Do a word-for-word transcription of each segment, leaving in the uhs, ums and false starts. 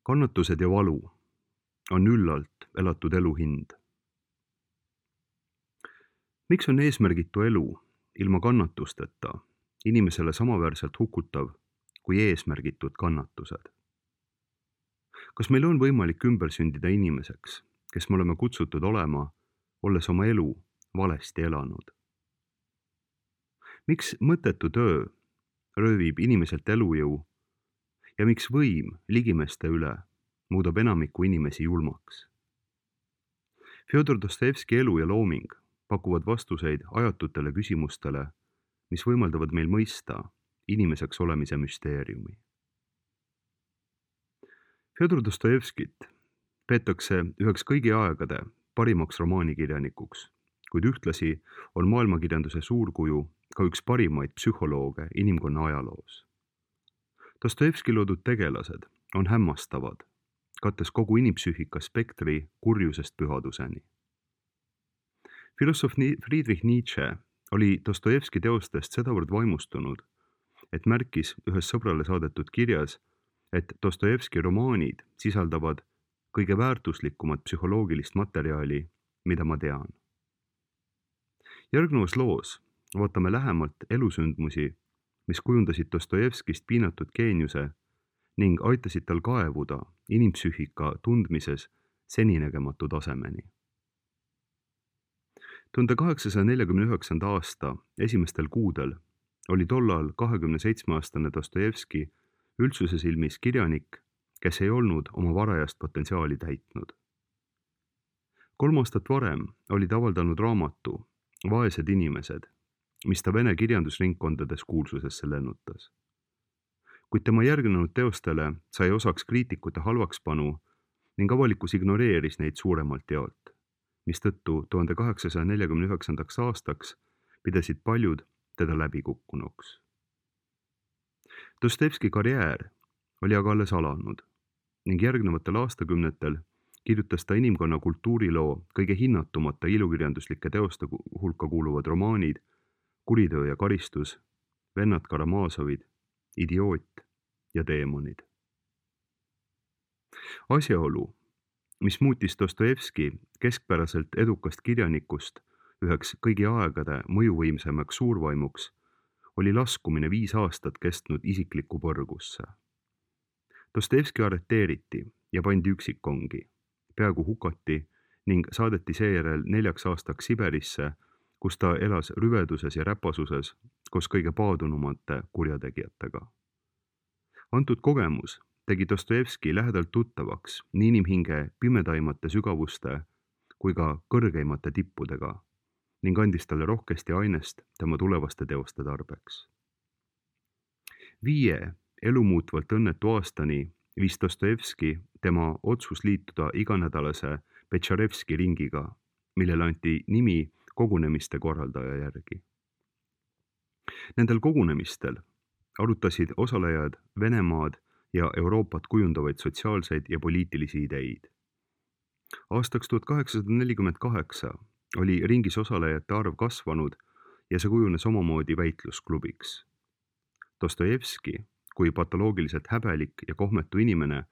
Kannatused ja valu on üllalt elatud elu hind. Miks on eesmärgitu elu ilma kannatusteta inimesele samaväärselt hukutav kui eesmärgitud kannatused? Kas meil on võimalik ümber sündida inimeseks, kes me oleme kutsutud olema, olles oma elu valesti elanud? Miks mõttetu töö röövib inimeselt elujõu ja miks võim ligimeeste üle muudab enamiku inimesi julmaks? Fjodor Dostojevski elu ja looming pakuvad vastuseid ajatutele küsimustele, mis võimaldavad meil mõista inimeseks olemise müsteeriumi. Fjodor Dostojevskit peetakse üheks kõigi aegade parimaks romaanikirjanikuks, kuid ühtlasi on maailmakirjanduse suurkuju ka üks parimaid psühholooge inimkonna ajaloos. Dostojevski loodud tegelased on hämmastavad, kattes kogu inimpsüühika spektri kurjusest pühaduseni. Filosoof Friedrich Nietzsche oli Dostojevski teostest sedavõrd vaimustunud, et märkis ühes sõbrale saadetud kirjas, et Dostojevski romaanid sisaldavad kõige väärtuslikumat psühholoogilist materjali, mida ma tean. Järgnevas loos vaatame lähemalt elusündmusi, mis kujundasid Dostojevskist piinatud geeniuse ning aitasid tal kaevuda inimpsüühika tundmises seninägematu tasemeni. tuhande kaheksasaja neljakümne üheksanda aasta esimestel kuudel oli tollal kahekümne seitsme aastane Dostojevski üldsuse silmis kirjanik, kes ei olnud oma varajast potentsiaali täitnud. Kolm aastat varem oli ta avaldanud raamatu Vaesed inimesed, mis ta Vene kirjandusringkondades kuulsusesse lennutas. Kuid tema järgnenud teostele sai osaks kriitikute halvakspanu ning avalikkus ignoreeris neid suuremalt jaolt, mistõttu tuhande kaheksasaja neljakümne üheksandaks aastaks pidasid paljud teda läbikukkunuks. Dostojevski karjäär oli aga alles alanud ning järgnevatel aastakümnetel kirjutas ta inimkonna kultuuriloo kõige hinnatumate ilukirjanduslike teoste hulka kuuluvad romaanid Kuritöö ja karistus, Vennad Karamazovid, Idioot ja Teemonid. Asjaolu, mis muutis Dostojevski keskpäraselt edukast kirjanikust üheks kõigi aegade mõjuvõimsemaks suurvaimuks, oli laskumine viis aastat kestnud isiklikku põrgusse. Dostojevski arreteeriti ja pandi üksikkongi, peaaegu hukati ning saadeti seejärel neljaks aastaks Siberisse, kus ta elas rüveduses ja räpasuses koos kõige paadunumate kurjategijatega. Antud kogemus tegi Dostojevski lähedalt tuttavaks nii inimhinge pimedaimate sügavuste kui ka kõrgeimate tippudega ning andis talle rohkesti ainest tema tulevaste teoste tarbeks. Viie elumuutvalt õnnetu aastani viis Dostojevski tema otsus liituda iganädalase Petšarevski ringiga, millele anti nimi kogunemiste korraldaja järgi. Nendel kogunemistel arutasid osalejad Venemaad ja Euroopat kujundavaid sotsiaalseid ja poliitilisi ideid. Aastaks tuhat kaheksasada nelikümmend kaheksa oli ringis osalejate arv kasvanud ja see kujunes omamoodi väitlusklubiks. Dostojevski, kui patoloogiliselt häbelik ja kohmetu inimene,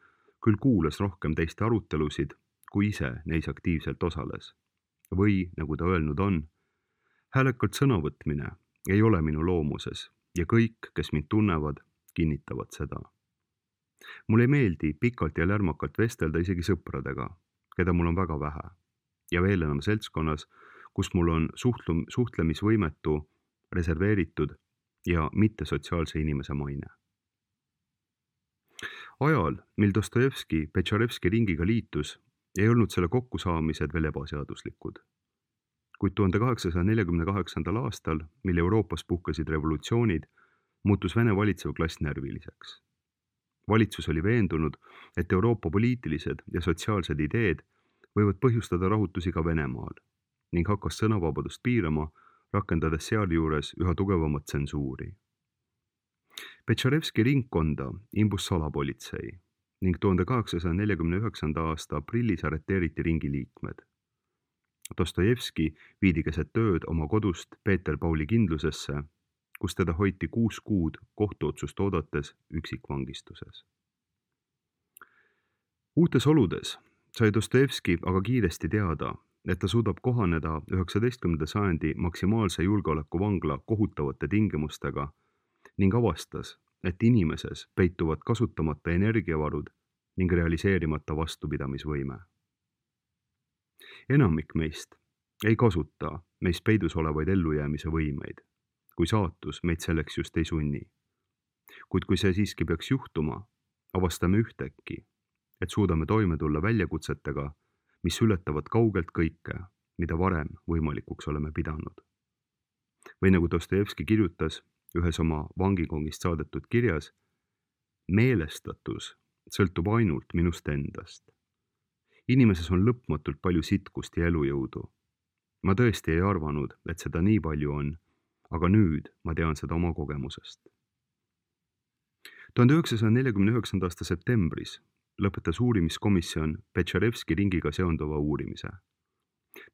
küll kuulas rohkem teiste arutelusid, kui ise neis aktiivselt osales. Või, nagu ta öelnud on, häälekalt sõnavõtmine ei ole minu loomuses ja kõik, kes mind tunnevad, kinnitavad seda. Mul ei meeldi pikalt ja lärmakalt vestelda isegi sõpradega, keda mul on väga vähe, ja veel enam seltskonnas, kus mul on suhtlum, suhtlemisvõimetu, reserveeritud ja mittesotsiaalse inimese maine. Ajal, mil Dostojevski Petšarevski ringiga liitus, ei olnud selle kokkusaamised veel ebaseaduslikud. Kuid tuhande kaheksasaja neljakümne kaheksandal aastal, mil Euroopas puhkesid revolutsioonid, muutus Vene valitsev klass närviliseks. Valitsus oli veendunud, et Euroopa poliitilised ja sotsiaalsed ideed võivad põhjustada rahutusi ka Venemaal ning hakkas sõnavabadust piirama, rakendades sealjuures üha tugevamat tsensuuri. Petšarevski ringkonda imbus salapolitsei ning tuhande kaheksasaja neljakümne üheksanda aasta aprillis arreteeriti ringi liikmed. Dostojevski viidi keset tööd oma kodust Peeter Pauli kindlusesse, kus teda hoiti kuus kuud kohtuotsust oodates üksikvangistuses. Uutes oludes sai Dostojevski aga kiiresti teada, et ta suudab kohaneda üheksateistkümnenda sajandi maksimaalse julgeoleku vangla kohutavate tingimustega ning avastas, et inimeses peituvad kasutamata energiavarud ning realiseerimata vastupidamisvõime. Enamik meist ei kasuta meis peidus olevaid ellujäämise võimeid, kui saatus meid selleks just ei sunni. Kuid kui see siiski peaks juhtuma, avastame ühtäkki, et suudame toime tulla väljakutsetega, mis ületavad kaugelt kõike, mida varem võimalikuks oleme pidanud. Või nagu Dostojevski kirjutas ühes oma vangikongist saadetud kirjas, meelestatus sõltub ainult minust endast. Inimeses on lõpmatult palju sitkust ja elujõudu. Ma tõesti ei arvanud, et seda nii palju on, aga nüüd ma tean seda oma kogemusest. tuhande üheksasaja neljakümne üheksanda aasta septembris lõpetas uurimiskomisjon Petšarevski ringiga seonduva uurimise.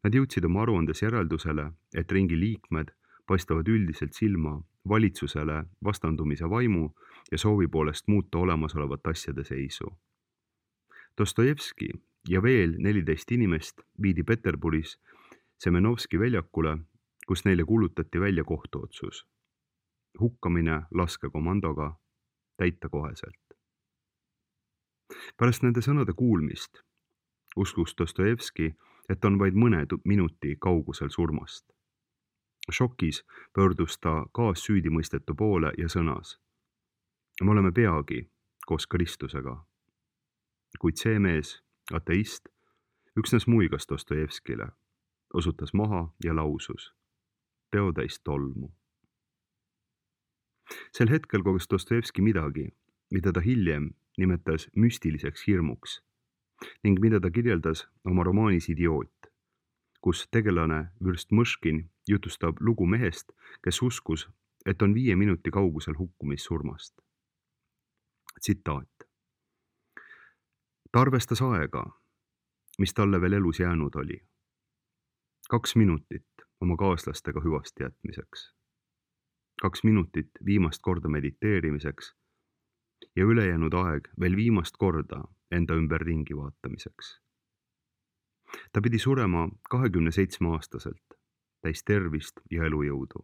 Nad jõudsid oma aruandes järeldusele, et ringi liikmed paistavad üldiselt silma valitsusele vastandumise vaimu ja soovi poolest muuta olemasolevat asjade seisu. Dostojevski ja veel neliteist inimest viidi Peterburis Semenovski väljakule, kus neile kuulutati välja kohtuotsus. Hukkamine laskekomandoga täita koheselt. Pärast nende sõnade kuulmist uskus Dostojevski, et on vaid mõne minuti kaugusel surmast. Šokis pöördus ta kaassüüdimõistetu poole ja sõnas: me oleme peagi koos Kristusega. Kuid see mees, ateist, üksnes muigas Dostojevskile, osutas maha ja lausus: peotäis tolmu. Sel hetkel koges Dostojevski midagi, mida ta hiljem nimetas müstiliseks hirmuks ning mida ta kirjeldas oma romaanis Idioot, kus tegelane vürst Mõškin jutustab lugu mehest, kes uskus, et on viie minuti kaugusel hukkumissurmast. Tsitaat. Ta arvestas aega, mis talle veel elus jäänud oli. Kaks minutit oma kaaslastega hüvasti jätmiseks. Kaks minutit viimast korda mediteerimiseks ja ülejäänud aeg veel viimast korda enda ümber ringi vaatamiseks. Ta pidi surema kahekümne seitsme aastaselt, täis tervist ja elujõudu.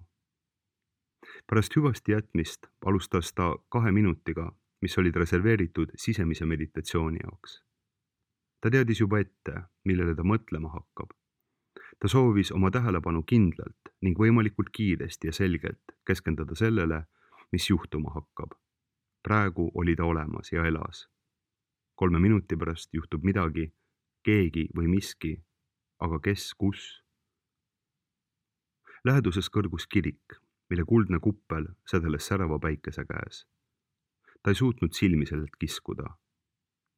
Pärast hüvasti jätmist alustas ta kahe minutiga, mis olid reserveeritud sisemise meditatsiooni jaoks. Ta teadis juba ette, millele ta mõtlema hakkab. Ta soovis oma tähelepanu kindlalt ning võimalikult kiiresti ja selgelt keskenduda sellele, mis juhtuma hakkab. Praegu oli ta olemas ja elas. Kolme minuti pärast juhtub midagi, keegi või miski, aga kes, kus? Läheduses kõrgus kirik, mille kuldne kuppel sädeles särava päikese käes. Ta ei suutnud silmi sellelt kiskuda.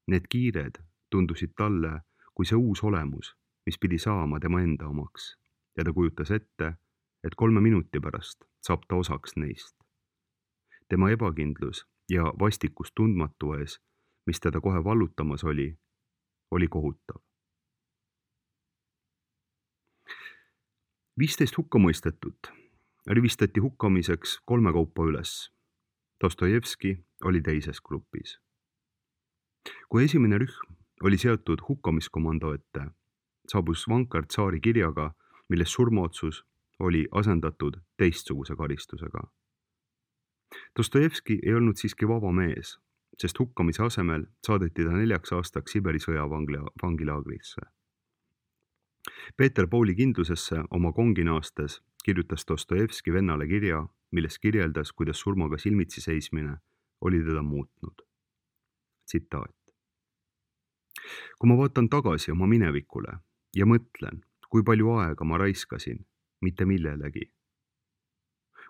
Need kiired tundusid talle kui see uus olemus, mis pidi saama tema enda omaks, ja ta kujutas ette, et kolme minuti pärast saab ta osaks neist. Tema ebakindlus ja vastikus tundmatu ees, mis teda kohe vallutamas oli, oli kohutav. viisteist hukkamõistetut rivistati hukkamiseks kolme kaupa üles. Dostojevski oli teises grupis. Kui esimene rühm oli seotud hukkamiskomando ette, saabus vankar tsaari kirjaga, milles surmaotsus oli asendatud teistsuguse karistusega. Dostojevski ei olnud siiski vaba mees, sest hukkamise asemel saadeti ta neljaks aastaks Siberi sõjavangilaagrisse. Peeter Pauli kindlusesse oma konginaastes kirjutas Dostojevski vennale kirja, milles kirjeldas, kuidas surmaga silmitsi seismine oli teda muutnud. Tsitaat. Kui ma vaatan tagasi oma minevikule ja mõtlen, kui palju aega ma raiskasin, mitte millelegi.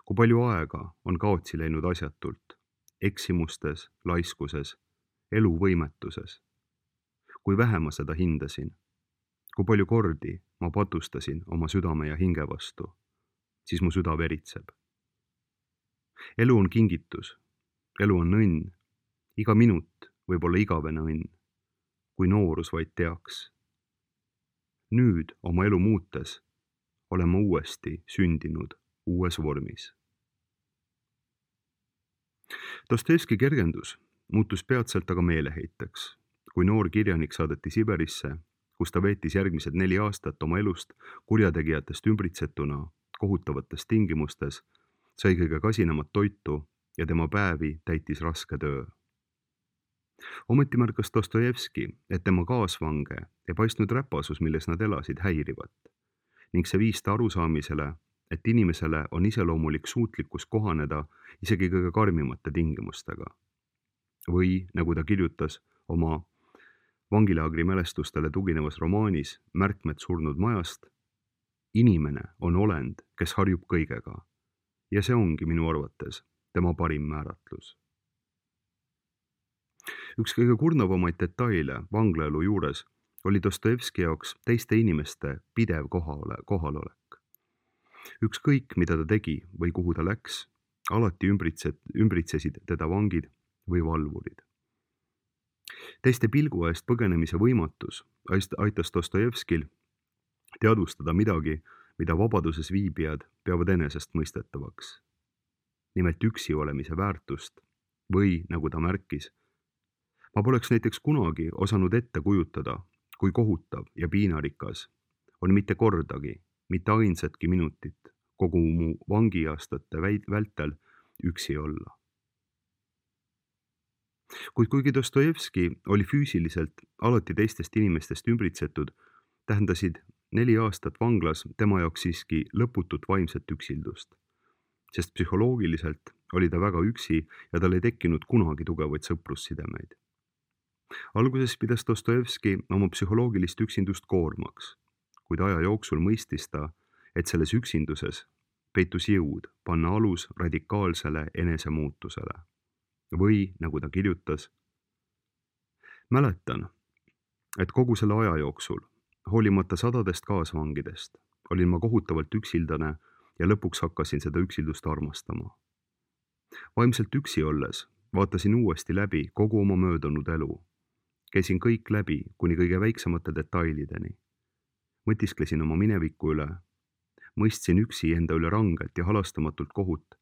Kui palju aega on kaotsi läinud asjatult, eksimustes, laiskuses, eluvõimetuses. Kui vähe ma seda hindasin, kui palju kordi ma patustasin oma südame ja hinge vastu, siis mu süda veritseb. Elu on kingitus, elu on õnn, iga minut võib olla igavene õnn, kui noorus vaid teaks. Nüüd oma elu muutes olen ma uuesti sündinud uues vormis. Dostojevski kergendus muutus peatselt aga meeleheiteks, kui noor kirjanik saadeti Siberisse, kus ta veetis järgmised neli aastat oma elust kurjategijatest ümbritsetuna kohutavates tingimustes, sai kõige kasinemat toitu ja tema päevi täitis raske töö. Ometi märkas Dostojevski, et tema kaasvange ei paistnud räpasus, milles nad elasid, häirivat ning see viis ta arusaamisele, et inimesele on iseloomulik suutlikkus kohaneda isegi kõige karmimate tingimustega. Või, nagu ta kirjutas oma vangilaagri mälestustele tuginevas romaanis Märkmed surnud majast, inimene on olend, kes harjub kõigega ja see ongi minu arvates tema parim määratlus. Üks kõige kurnavamaid detaile vanglaelu juures oli Dostojevski jaoks teiste inimeste pidev kohale, kohalolek. Ükskõik, mida ta tegi või kuhu ta läks, alati ümbritset, ümbritsesid teda vangid või valvurid. Teiste pilgu eest põgenemise võimatus aitas Dostojevskil teadvustada midagi, mida vabaduses viibijad peavad enesestmõistetavaks. Nimelt üksi olemise väärtust või, nagu ta märkis, ma poleks näiteks kunagi osanud ette kujutada, kui kohutav ja piinarikas on mitte kordagi, mitte ainsatki minutit kogu mu vangiaastate vältel üksi olla. Kuid kuigi Dostojevski oli füüsiliselt alati teistest inimestest ümbritsetud, tähendasid neli aastat vanglas tema jaoks siiski lõputut vaimset üksildust, sest psühholoogiliselt oli ta väga üksi ja tal ei tekkinud kunagi tugevaid sõprussidemeid. Alguses pidas Dostojevski oma psühholoogilist üksindust koormaks, kuid aja jooksul mõistis ta, et selles üksinduses peitus jõud panna alus radikaalsele enesemuutusele. Või, nagu ta kirjutas, mäletan, et kogu selle aja jooksul, hoolimata sadadest kaasvangidest, olin ma kohutavalt üksildane ja lõpuks hakkasin seda üksildust armastama. Vaimselt üksi olles vaatasin uuesti läbi kogu oma möödunud elu. Käisin kõik läbi kuni kõige väiksemate detailideni. Mõtisklesin oma mineviku üle, mõistsin üksi enda üle rangelt ja halastamatult kohut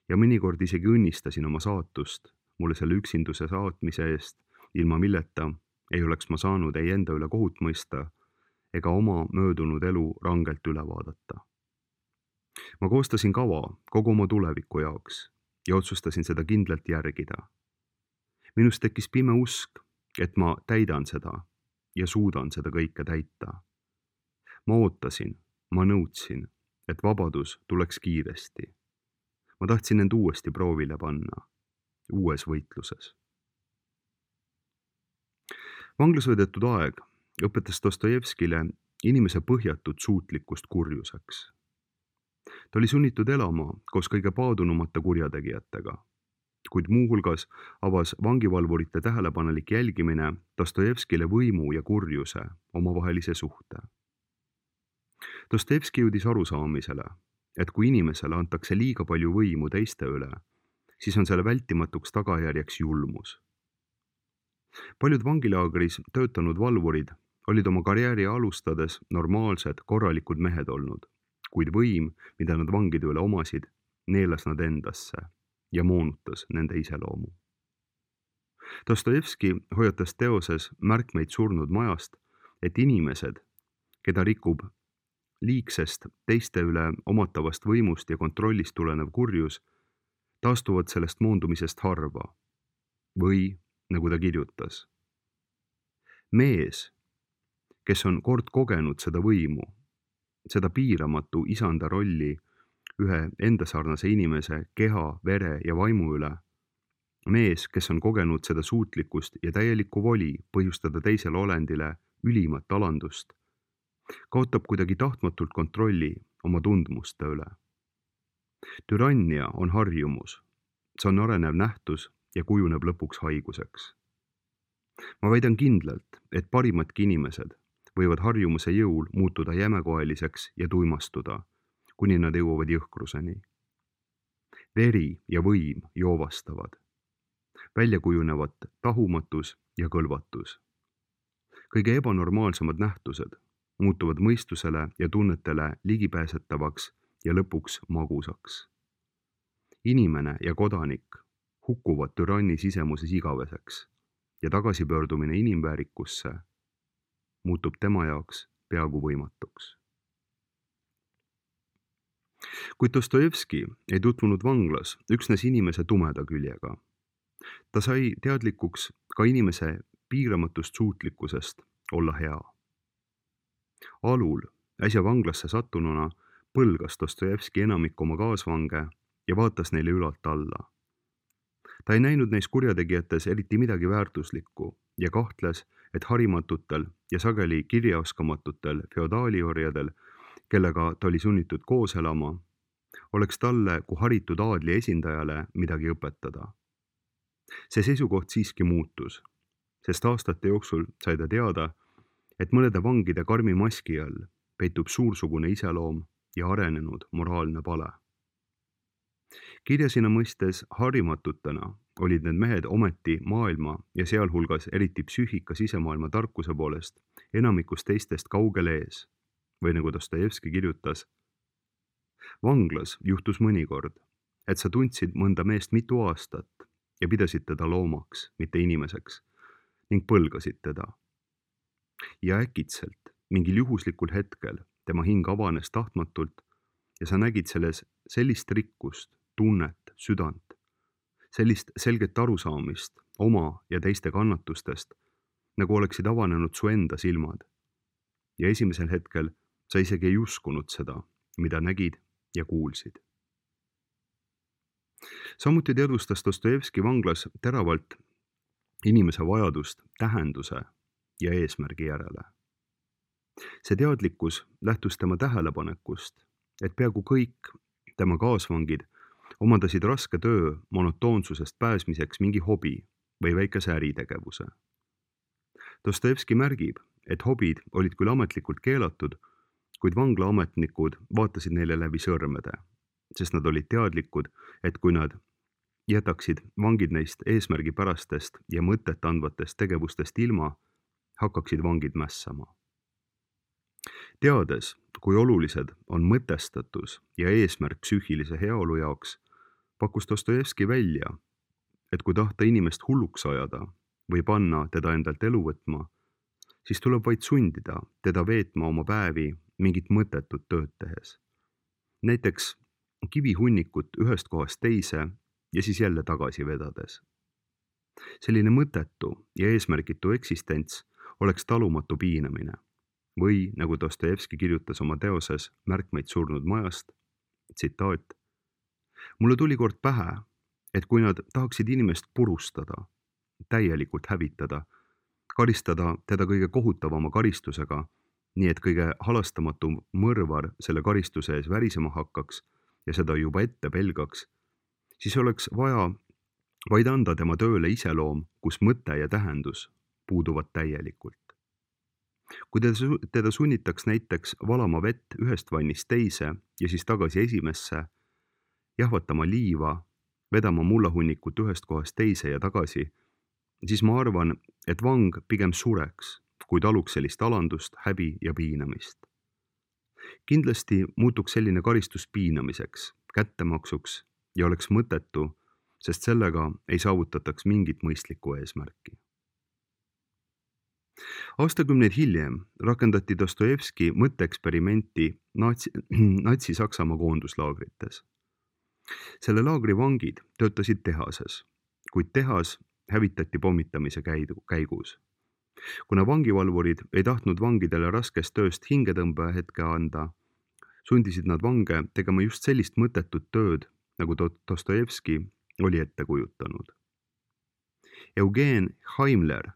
ja mõnikord isegi õnnistasin oma saatust mulle selle üksinduse saatmise eest, ilma milleta ei oleks ma saanud ei enda üle kohut mõista ega oma möödunud elu rangelt üle vaadata. Ma koostasin kava kogu oma tuleviku jaoks ja otsustasin seda kindlalt järgida. Minust tekkis pime usk, et ma täidan seda ja suudan seda kõike täita. Ma ootasin, ma nõudsin, et vabadus tuleks kiiresti. Ma tahtsin end uuesti proovile panna, uues võitluses. Vanglas veedetud aeg õpetas Dostojevskile inimese põhjatut suutlikkust kurjuseks. Ta oli sunnitud elama koos kõige paadunumate kurjategijatega, kuid muuhulgas avas vangivalvurite tähelepanelik jälgimine Dostojevskile võimu ja kurjuse omavahelise suhte. Dostojevski jõudis arusaamisele, et kui inimesele antakse liiga palju võimu teiste üle, siis on selle vältimatuks tagajärjeks julmus. Paljud vangilaagris töötanud valvurid olid oma karjääri alustades normaalsed, korralikud mehed olnud, kuid võim, mida nad vangide üle omasid, neelas nad endasse ja moonutas nende iseloomu. Dostojevski hoiatas teoses Märkmeid surnud majast, et inimesed, keda rikub liigsest teiste üle omatavast võimust ja kontrollist tulenev kurjus, taastuvad sellest moondumisest harva. Või, nagu ta kirjutas, mees, kes on kord kogenud seda võimu, seda piiramatu isanda rolli ühe endasarnase inimese keha, vere ja vaimu üle, mees, kes on kogenud seda suutlikkust ja täielikku voli põhjustada teisele olendile ülimat alandust, kaotab kuidagi tahtmatult kontrolli oma tundmuste üle. Türannia on harjumus, see on arenev nähtus ja kujuneb lõpuks haiguseks. Ma väidan kindlalt, et parimadki inimesed võivad harjumuse jõul muutuda jämekoeliseks ja tuimastuda, kuni nad jõuavad jõhkruseni. Veri ja võim joovastavad, välja kujunevad tahumatus ja kõlvatus. Kõige ebanormaalsemad nähtused muutuvad mõistusele ja tunnetele ligipääsetavaks ja lõpuks magusaks. Inimene ja kodanik hukkuvad türanni sisemuses igaveseks ja tagasipöördumine inimväärikusse muutub tema jaoks peaaegu võimatuks. Kuid Dostojevski ei tutvunud vanglas üksnes inimese tumeda küljega. Ta sai teadlikuks ka inimese piiramatust suutlikkusest olla hea. Alul, äsja vanglasse sattununa, põlgas Dostojevski enamik oma kaasvange ja vaatas neile ülalt alla. Ta ei näinud neis kurjategijates eriti midagi väärtuslikku ja kahtles, et harimatutel ja sageli kirjaoskamatutel feodaaliorjadel, kellega ta oli sunnitud koos elama, oleks talle kui haritud aadli esindajale midagi õpetada. See seisukoht siiski muutus, sest aastate jooksul sai ta teada, et mõnede vangide karmi maski all peitub suursugune iseloom ja arenenud moraalne pale. Kirjasina mõistes harimatutena olid need mehed ometi maailma ja sealhulgas eriti psüühika sisemaailma tarkuse poolest enamikust teistest kaugel ees, või nagu Dostojevski kirjutas, vanglas juhtus mõnikord, et sa tundsid mõnda meest mitu aastat ja pidasid teda loomaks, mitte inimeseks, ning põlgasid teda. Ja äkitselt, mingil juhuslikul hetkel, tema hing avanes tahtmatult ja sa nägid selles sellist rikkust, tunnet, südant, sellist selget arusaamist oma ja teiste kannatustest, nagu oleksid avanenud su enda silmad. Ja esimesel hetkel sa isegi ei uskunud seda, mida nägid ja kuulsid. Samuti teadvustas Dostojevski vanglas teravalt inimese vajadust tähenduse ja eesmärgi järele. See teadlikkus lähtus tema tähelepanekust, et peaaegu kõik tema kaasvangid omandasid raske töö monotoonsusest pääsmiseks mingi hobi või väikese äritegevuse. Dostojevski märgib, et hobid olid küll ametlikult keelatud, kuid vanglaametnikud vaatasid neile läbi sõrmede, sest nad olid teadlikud, et kui nad jätaksid vangid neist eesmärgipärastest ja mõtet andvatest tegevustest ilma, hakkaksid vangid mässama. Teades, kui olulised on mõtestatus ja eesmärk psüühilise heaolu jaoks, pakkus Dostojevski välja, et kui tahta inimest hulluks ajada või panna teda endalt elu võtma, siis tuleb vaid sundida teda veetma oma päevi mingit mõttetut tööd tehes. Näiteks kivihunnikut ühest kohast teise ja siis jälle tagasi vedades. Selline mõttetu ja eesmärgitu eksistents oleks talumatu piinamine või, nagu Dostojevski kirjutas oma teoses Märkmeid surnud majast, tsitaat, mulle tuli kord pähe, et kui nad tahaksid inimest purustada, täielikult hävitada, karistada teda kõige kohutavama karistusega, nii et kõige halastamatum mõrvar selle karistuse ees värisema hakkaks ja seda juba ette pelgaks, siis oleks vaja vaid anda tema tööle iseloom, kus mõte ja tähendus puuduvad täielikult. Kui teda, teda sunnitaks näiteks valama vett ühest vannist teise ja siis tagasi esimesse, jahvatama liiva, vedama mullahunnikut ühest kohast teise ja tagasi, siis ma arvan, et vang pigem sureks, kui taluks sellist alandust, häbi ja piinamist. Kindlasti muutuks selline karistus piinamiseks, kättemaksuks ja oleks mõttetu, sest sellega ei saavutataks mingit mõistlikku eesmärki. Aastakümneid hiljem rakendati Dostojevski mõtteeksperimenti natsi, natsi-Saksamaa koonduslaagrites. Selle laagri vangid töötasid tehases, kuid tehas hävitati pommitamise käigus. Kuna vangivalvurid ei tahtnud vangidele raskest tööst hingetõmbe hetke anda, sundisid nad vange tegema just sellist mõttetut tööd, nagu Dostojevski oli ette kujutanud. Eugen Haimler,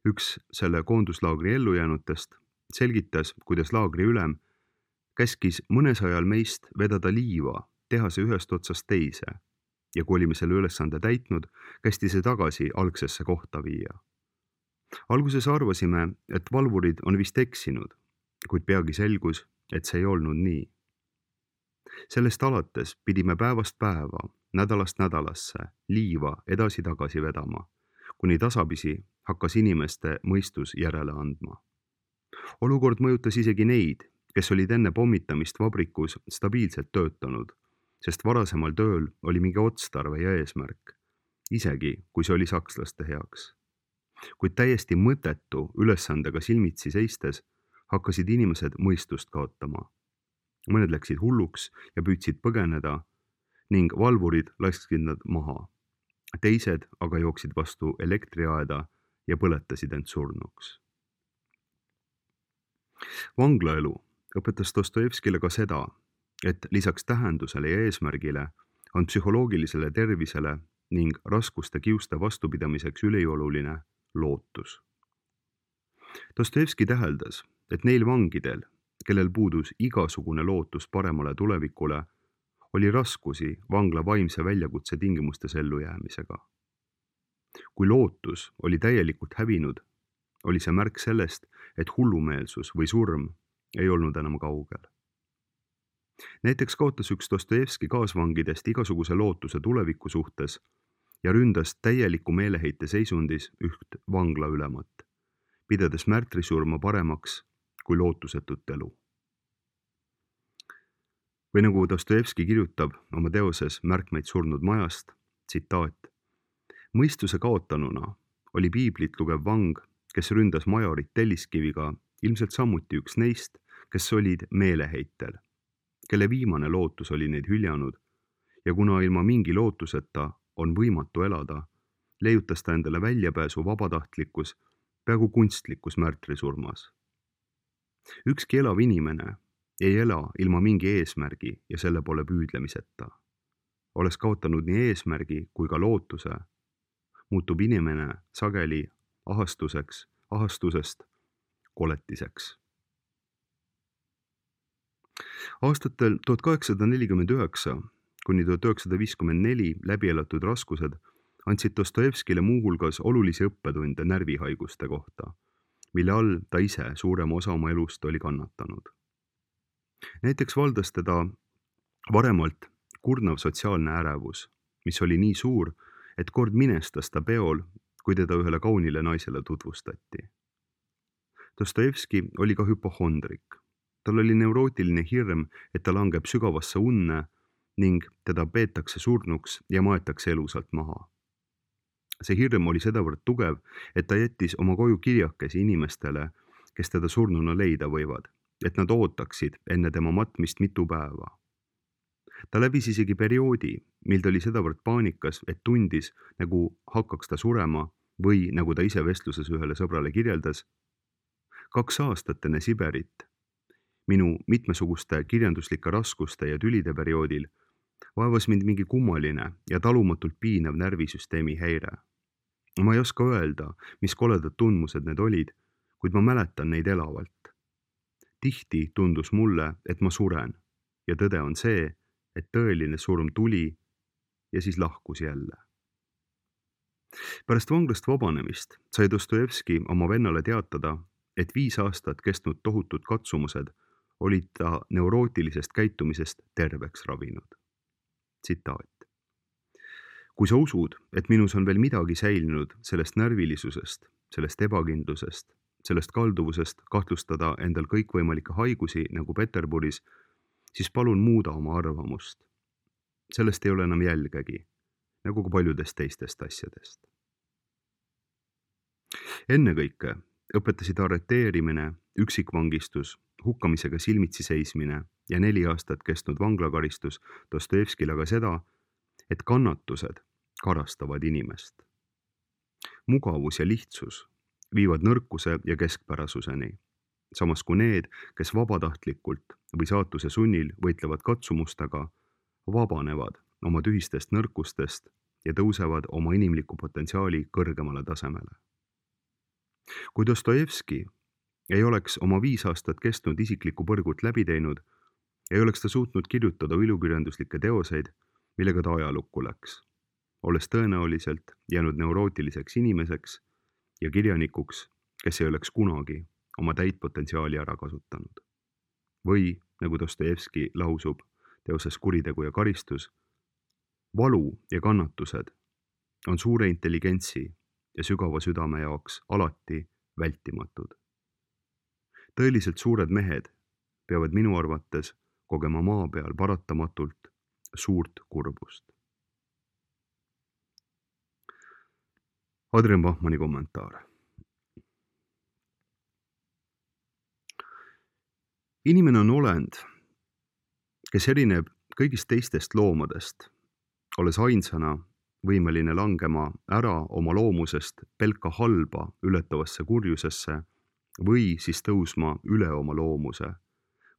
üks selle koonduslaagri ellujäänutest, selgitas, kuidas laagri ülem käskis mõnesajal meist vedada liiva tehase ühest otsast teise ja kui olime selle ülesande täitnud, kästi see tagasi algsesse kohta viia. Alguses arvasime, et valvurid on vist eksinud, kuid peagi selgus, et see ei olnud nii. Sellest alates pidime päevast päeva, nädalast nädalasse liiva edasi-tagasi vedama, kuni tasapisi hakkas inimeste mõistus järele andma. Olukord mõjutas isegi neid, kes olid enne pommitamist vabrikus stabiilselt töötanud, sest varasemal tööl oli mingi otstarve ja eesmärk, isegi kui see oli sakslaste heaks. kuid täiesti mõttetu ülesandega silmitsi seistes hakkasid inimesed mõistust kaotama. Mõned läksid hulluks ja püüdsid põgeneda ning valvurid lasksid nad maha. Teised aga jooksid vastu elektriaeda ja põletasid end surnuks. Vanglaelu õpetas Dostojevskile ka seda, et lisaks tähendusele ja eesmärgile on psühholoogilisele tervisele ning raskuste kiuste vastupidamiseks ülioluline lootus. Dostojevski täheldas, et neil vangidel, kellel puudus igasugune lootus paremale tulevikule, oli raskusi vangla vaimse väljakutse tingimustes ellujäämisega. Kui lootus oli täielikult hävinud, oli see märk sellest, et hullumeelsus või surm ei olnud enam kaugel. Näiteks kaotas üks Dostojevski kaasvangidest igasuguse lootuse tuleviku suhtes ja ründas täieliku meeleheite seisundis üht vangla ülemat, pidedes märtrisurma paremaks kui lootusetut elu. Või nagu Dostojevski kirjutab oma teoses Märkmeid surnud majast, tsitaat: mõistuse kaotanuna oli piiblit lugev vang, kes ründas majorit telliskiviga, ilmselt samuti üks neist, kes olid meeleheitel, kelle viimane lootus oli neid hüljanud ja kuna ilma mingi lootuseta on võimatu elada, leiutas ta endale väljapääsu vabatahtlikkus, peaaegu kunstlikus märtrisurmas. Ükski elav inimene ei ela ilma mingi eesmärgi ja selle poole püüdlemiseta. Olles kaotanud nii eesmärgi kui ka lootuse, muutub inimene sageli ahastuseks, ahastusest koletiseks. Aastatel tuhat kaheksasada nelikümmend üheksa kuni tuhat üheksasada viiskümmend neli läbi elatud raskused andsid Dostojevskile muuhulgas olulisi õppetunde närvihaiguste kohta, mille all ta ise suurema osa oma elust oli kannatanud. Näiteks valdas teda varemalt kurnav sotsiaalne ärevus, mis oli nii suur, et kord minestas ta peol, kui teda ühele kaunile naisele tutvustati. Dostojevski oli ka hüpohondrik. Tal oli neurootiline hirm, et ta langeb sügavasse unne ning teda peetakse surnuks ja maetakse elusalt maha. See hirm oli sedavõrd tugev, et ta jättis oma koju kirjakesi inimestele, kes teda surnuna leida võivad, et nad ootaksid enne tema matmist mitu päeva. Ta läbis isegi perioodi, mil ta oli sedavõrd paanikas, et tundis, nagu hakkaks ta surema või, nagu ta ise vestluses ühele sõbrale kirjeldas, kaks aastat enne Siberit, minu mitmesuguste kirjanduslike raskuste ja tülide perioodil, vaevas mind mingi kummaline ja talumatult piinav närvisüsteemi häire. Ma ei oska öelda, mis koledad tundmused need olid, kuid ma mäletan neid elavalt. Tihti tundus mulle, et ma suren ja tõde on see, et tõeline surm tuli ja siis lahkus jälle. Pärast vanglast vabanemist sai Dostojevski oma vennale teatada, et viis aastat kestnud tohutud katsumused olid ta neurootilisest käitumisest terveks ravinud. Tsitaat. Kui sa usud, et minus on veel midagi säilinud sellest närvilisusest, sellest ebakindlusest, sellest kalduvusest kahtlustada endal kõikvõimalikke haigusi nagu Peterburis, siis palun muuda oma arvamust. Sellest ei ole enam jälgegi, nagu ka paljudest teistest asjadest. Ennekõike õpetasid arreteerimine, üksikvangistus, hukkamisega silmitsi seismine ja neli aastat kestnud vanglakaristus Dostojevskile aga seda, et kannatused karastavad inimest. Mugavus ja lihtsus viivad nõrkuse ja keskpärasuseni, samas kui need, kes vabatahtlikult või saatuse sunnil võitlevad katsumustega, vabanevad oma tühistest nõrkustest ja tõusevad oma inimliku potentsiaali kõrgemale tasemele. Kui Dostojevski ei oleks oma viis aastat kestnud isiklikku põrgut läbi teinud, ei oleks ta suutnud kirjutada ilukirjanduslikke teoseid, millega ta ajalukku läks, olles tõenäoliselt jäänud neurootiliseks inimeseks ja kirjanikuks, kes ei oleks kunagi oma täit potentsiaali ära kasutanud. Või, nagu Dostojevski lausub teoses Kuritegu ja karistus, valu ja kannatused on suure intelligentsi ja sügava südame jaoks alati vältimatud. Tõeliselt suured mehed peavad minu arvates kogema maa peal paratamatult suurt kurbust. Adrian Bachmanni kommentaar. Inimene on olend, kes erineb kõigist teistest loomadest, olles ainsana võimeline langema ära oma loomusest pelka halba ületavasse kurjusesse või siis tõusma üle oma loomuse,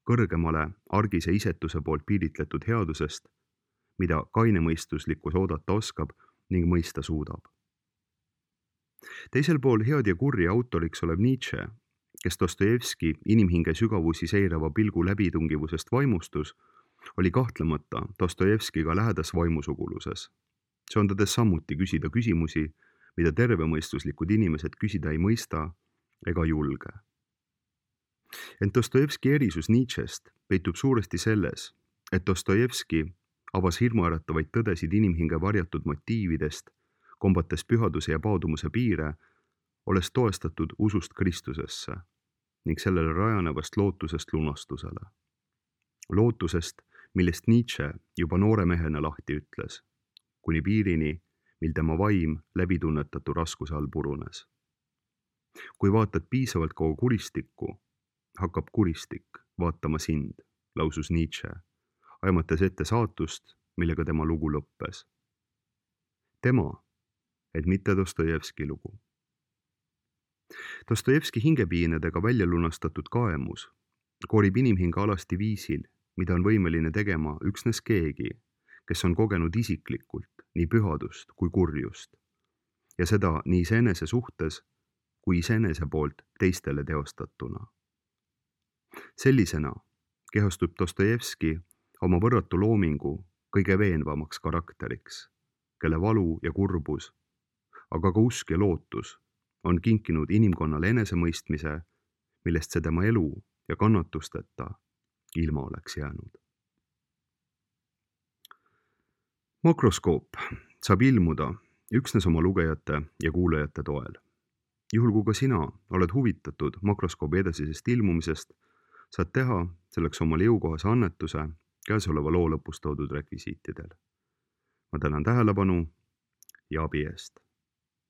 kõrgemale argise isetuse poolt piiritletud headusest, mida kainemõistuslikkus oodata oskab ning mõista suudab. Teisel pool head ja kurja autoriks olev Nietzsche, kes Dostojevski inimhinge sügavusi seirava pilgu läbitungivusest vaimustus, oli kahtlemata Dostojevskiga lähedas vaimusuguluses. Söandades samuti küsida küsimusi, mida tervemõistuslikud inimesed küsida ei mõista ega julge. Ent Dostojevski erisus Nietzschest peitub suuresti selles, et Dostojevski avas hirmuäratavaid tõdesid inimhinge varjatud motiividest, kombates pühaduse ja paadumuse piire, olles toestatud usust Kristusesse ning sellele rajanevast lootusest lunastusele. Lootusest, millest Nietzsche juba noore mehena lahti ütles, kuni piirini, mil tema vaim läbitunnetatu raskuse all purunes. Kui vaatad piisavalt kaua kuristikku, hakkab kuristik vaatama sind, lausus Nietzsche, aimates ette saatust, millega tema lugu lõppes. Tema, et mitte Dostojevski lugu. Dostojevski hingepiinadega välja lunastatud kaemus korib inimhinge alasti viisil, mida on võimeline tegema üksnes keegi, kes on kogenud isiklikult nii pühadust kui kurjust, ja seda nii iseenese suhtes kui iseenese poolt teistele teostatuna. Sellisena kehastub Dostojevski oma võrratu loomingu kõige veenvamaks karakteriks, kelle valu ja kurbus, aga ka usk ja lootus on kinkinud inimkonnale enesemõistmise, millest see tema elu ja kannatusteta ilma oleks jäänud. Makroskoop saab ilmuda üksnes oma lugejate ja kuulajate toel. Juhul kui ka sina oled huvitatud makroskoobi edasisest ilmumisest, saad teha selleks omale jõukohase annetuse käesoleva loo lõpus toodud rekvisiitidel. Ma tänan tähelepanu ja abi eest.